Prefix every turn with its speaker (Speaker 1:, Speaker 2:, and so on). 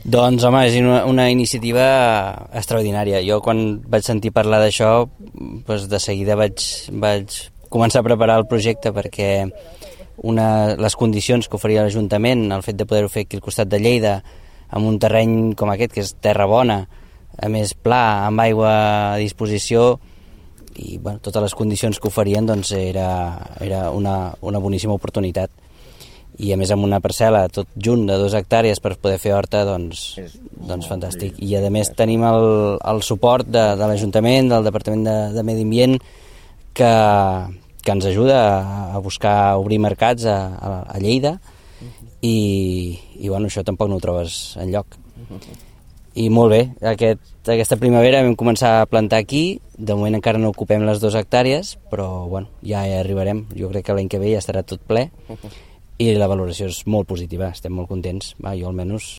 Speaker 1: Doncs, home, és una iniciativa extraordinària. Jo, quan vaig sentir parlar d'això, doncs de seguida vaig començar a preparar el projecte, perquè les condicions que oferia l'Ajuntament, el fet de poder-ho fer aquí al costat de Lleida, amb un terreny com aquest, que és terra bona, a més pla, amb aigua a disposició, i bueno, totes les condicions que oferien, doncs era una boníssima oportunitat. I a més amb una parcel·la tot junt de 2 hectàrees per poder fer horta, doncs fantàstic. I a més tenim el suport de l'Ajuntament, del Departament de Medi Ambient, que ens ajuda a buscar obrir mercats a Lleida, i bueno, això tampoc no ho trobes enlloc. I molt bé, aquesta primavera vam començar a plantar aquí. De moment encara no ocupem les 2 hectàrees, però bueno, ja hi arribarem. Jo crec que l'any que ve ja estarà tot ple, i la valoració és molt positiva, estem molt contents. Jo almenys